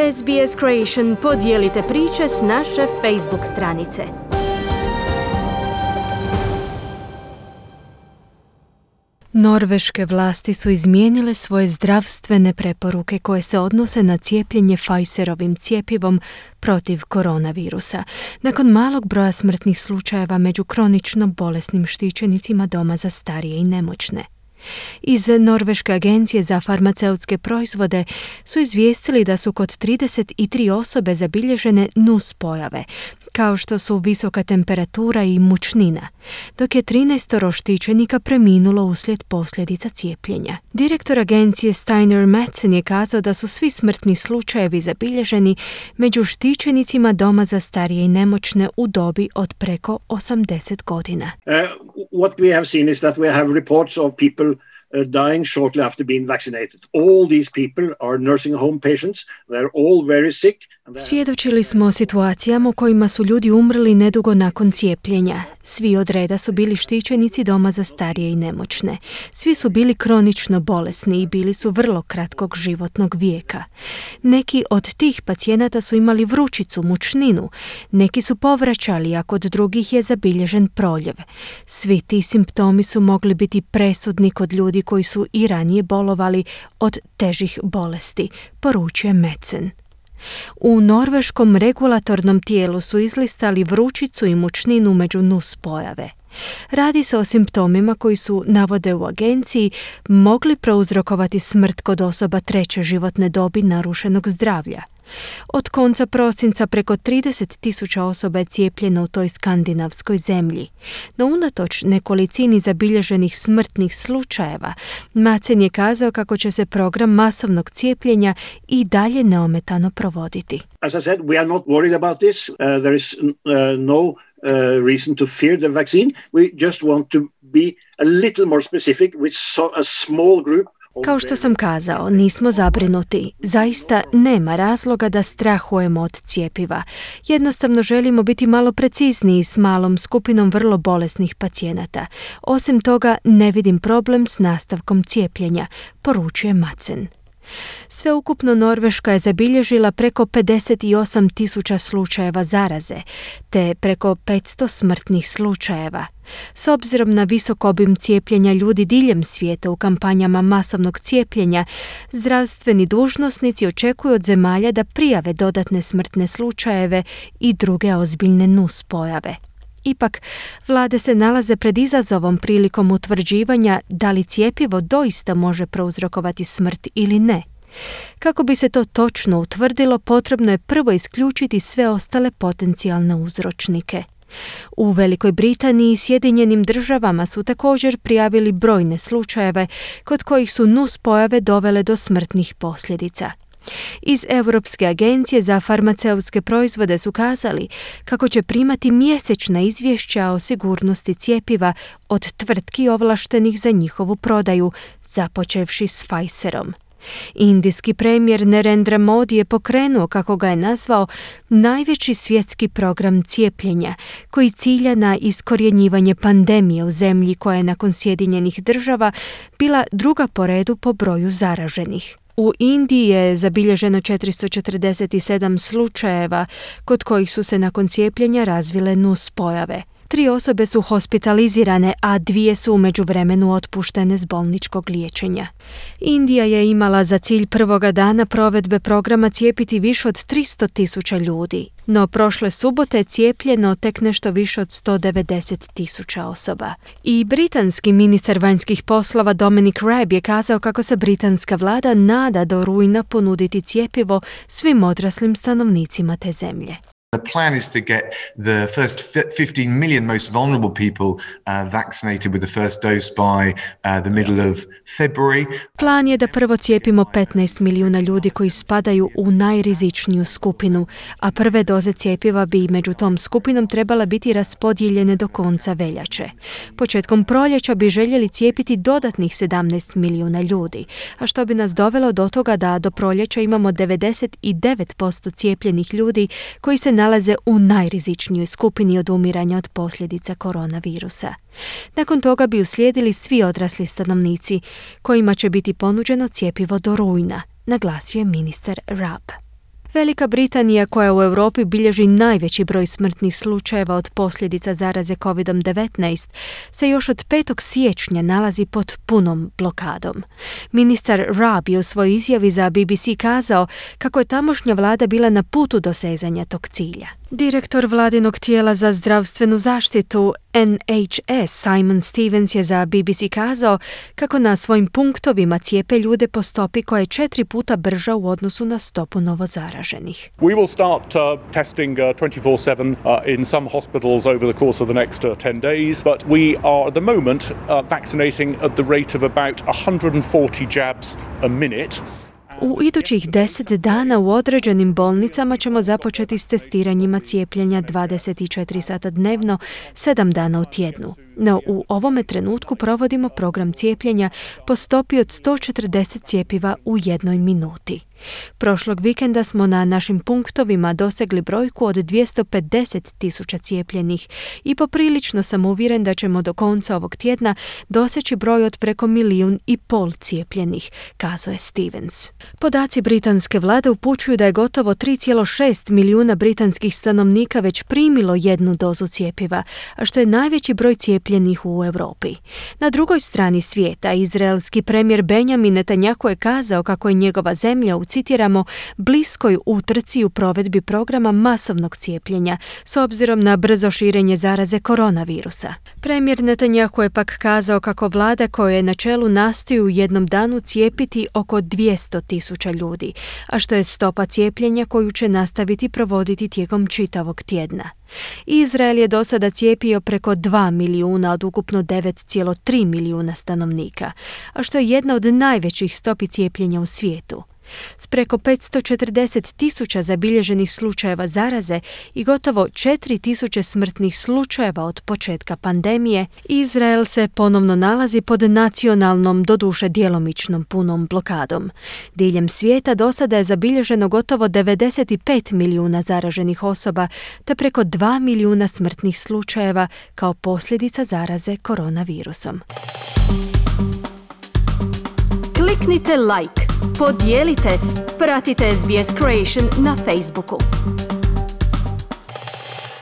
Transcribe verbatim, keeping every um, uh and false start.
S B S Creation podijelite priče s naše Facebook stranice. Norveške vlasti su izmijenile svoje zdravstvene preporuke koje se odnose na cijepljenje Pfizerovim cjepivom protiv koronavirusa, nakon malog broja smrtnih slučajeva među kronično bolesnim štićenicima doma za starije i nemoćne. Iz Norveške agencije za farmaceutske proizvode su izvijestili da su kod trideset tri osobe zabilježene nuspojave, kao što su visoka temperatura i mučnina, dok je trinaest štićenika preminulo uslijed posljedica cijepljenja. Direktor agencije Steiner Madsen je kazao da su svi smrtni slučajevi zabilježeni među štićenicima doma za starije i nemoćne u dobi od preko osamdeset godina. Uh, what we have seen is that we have reports of people Uh, dying shortly after being vaccinated. All these people are nursing home patients. They're all very sick. Svjedočili smo o situacijama u kojima su ljudi umrli nedugo nakon cijepljenja. Svi od reda su bili štićenici doma za starije i nemoćne. Svi su bili kronično bolesni i bili su vrlo kratkog životnog vijeka. Neki od tih pacijenata su imali vrućicu, mučninu. Neki su povraćali, a kod drugih je zabilježen proljev. Svi ti simptomi su mogli biti presudni kod ljudi koji su i ranije bolovali od težih bolesti, poručuje Madsen. U norveškom regulatornom tijelu su izlistali vrućicu i mučninu među nuspojave. Radi se o simptomima koji su, navode u agenciji, mogli prouzrokovati smrt kod osoba treće životne dobi narušenog zdravlja. Od konca prosinca preko trideset tisuća osoba je cijepljeno u toj skandinavskoj zemlji. No unatoč nekolicini zabilježenih smrtnih slučajeva, Madsen je kazao kako će se program masovnog cijepljenja i dalje neometano provoditi. As I said, we are not worried about this. Uh, there is uh, no uh, reason to fear the vaccine. We just want to be a little more specific with so, a small group. Kao što sam kazao, nismo zabrinuti. Zaista nema razloga da strahujemo od cjepiva. Jednostavno želimo biti malo precizniji s malom skupinom vrlo bolesnih pacijenata. Osim toga, ne vidim problem s nastavkom cijepljenja, poručuje Madsen. Sveukupno Norveška je zabilježila preko pedeset osam tisuća slučajeva zaraze, te preko petsto smrtnih slučajeva. S obzirom na visok obim cijepljenja ljudi diljem svijeta u kampanjama masovnog cijepljenja, zdravstveni dužnosnici očekuju od zemalja da prijave dodatne smrtne slučajeve i druge ozbiljne nuspojave. Ipak, vlade se nalaze pred izazovom prilikom utvrđivanja da li cjepivo doista može prouzrokovati smrt ili ne. Kako bi se to točno utvrdilo, potrebno je prvo isključiti sve ostale potencijalne uzročnike. U Velikoj Britaniji i Sjedinjenim državama su također prijavili brojne slučajeve kod kojih su nuspojave dovele do smrtnih posljedica. Iz Europske agencije za farmaceutske proizvode su kazali kako će primati mjesečna izvješća o sigurnosti cjepiva od tvrtki ovlaštenih za njihovu prodaju, započevši s Pfizerom. Indijski premijer Narendra Modi je pokrenuo, kako ga je nazvao, najveći svjetski program cijepljenja koji cilja na iskorjenjivanje pandemije u zemlji koja je nakon Sjedinjenih država bila druga po redu po broju zaraženih. U Indiji je zabilježeno četiristo četrdeset sedam slučajeva kod kojih su se nakon cijepljenja razvile nuspojave. Tri osobe su hospitalizirane, a dvije su u međuvremenu otpuštene s bolničkog liječenja. Indija je imala za cilj prvoga dana provedbe programa cijepiti više od tristo tisuća ljudi, no prošle subote je cijepljeno tek nešto više od sto devedeset tisuća osoba. I britanski ministar vanjskih poslova Dominic Raab je kazao kako se britanska vlada nada do rujna ponuditi cjepivo svim odraslim stanovnicima te zemlje. The plan is to get the first fifteen million most vulnerable people uh, vaccinated with the first dose by uh, the middle of February. Plan je da prvo cijepimo petnaest milijuna ljudi koji spadaju u najrizičniju skupinu, a prve doze cjepiva bi među tom skupinom trebala biti raspodijeljene do konca veljače. Početkom proljeća bi željeli cijepiti dodatnih sedamnaest milijuna ljudi, a što bi nas dovelo do toga da do proljeća imamo devedeset devet posto cijepljenih ljudi koji se nalaze u najrizičnijoj skupini od umiranja od posljedica koronavirusa. Nakon toga bi uslijedili svi odrasli stanovnici, kojima će biti ponuđeno cjepivo do rujna, naglasio je ministar Raab. Velika Britanija, koja u Europi bilježi najveći broj smrtnih slučajeva od posljedica zaraze kovid devetnaest, se još od petog siječnja nalazi pod punom blokadom. Ministar Raab je u svojoj izjavi za B B C kazao kako je tamošnja vlada bila na putu dosezanja tog cilja. Direktor vladinog tijela za zdravstvenu zaštitu N H S Simon Stevens je za B B C kazao kako na svojim punktovima cijepe ljude po stopi koja je četiri puta brža u odnosu na stopu novozaraženih. We will start uh, testing uh, twenty-four seven uh, in some hospitals over the course of the next uh, ten days, but we are at the moment uh, vaccinating at the rate of about one hundred forty jabs a minute. U idućih deset dana u određenim bolnicama ćemo započeti s testiranjima cijepljenja dvadeset četiri sata dnevno, sedam dana u tjednu. No, u ovome trenutku provodimo program cijepljenja po stopi od sto četrdeset cjepiva u jednoj minuti. Prošlog vikenda smo na našim punktovima dosegli brojku od dvjesto pedeset tisuća cijepljenih i poprilično sam uvjeren da ćemo do konca ovog tjedna doseći broj od preko milijun i pol cijepljenih, kazao je Stevens. Podaci britanske vlade upućuju da je gotovo tri zarez šest milijuna britanskih stanovnika već primilo jednu dozu cjepiva, a što je najveći broj cijepljenih u Europi. Na drugoj strani svijeta, izraelski premijer Benjamin Netanjahu je kazao kako je njegova zemlja u citiramo, bliskoj utrci u provedbi programa masovnog cijepljenja s obzirom na brzo širenje zaraze koronavirusa. Premijer Netanjahu je pak kazao kako vlada koja je na čelu nastoji u jednom danu cijepiti oko dvjesto tisuća ljudi, a što je stopa cijepljenja koju će nastaviti provoditi tijekom čitavog tjedna. Izrael je do sada cijepio preko dva milijuna od ukupno devet zarez tri milijuna stanovnika, a što je jedna od najvećih stopi cijepljenja u svijetu. S preko petsto četrdeset tisuća zabilježenih slučajeva zaraze i gotovo četiri tisuće smrtnih slučajeva od početka pandemije, Izrael se ponovno nalazi pod nacionalnom, doduše djelomičnom punom blokadom. Diljem svijeta do sada je zabilježeno gotovo devedeset pet milijuna zaraženih osoba te preko dva milijuna smrtnih slučajeva kao posljedica zaraze koronavirusom. Kliknite like, podijelite, pratite S B S Creation na Facebooku.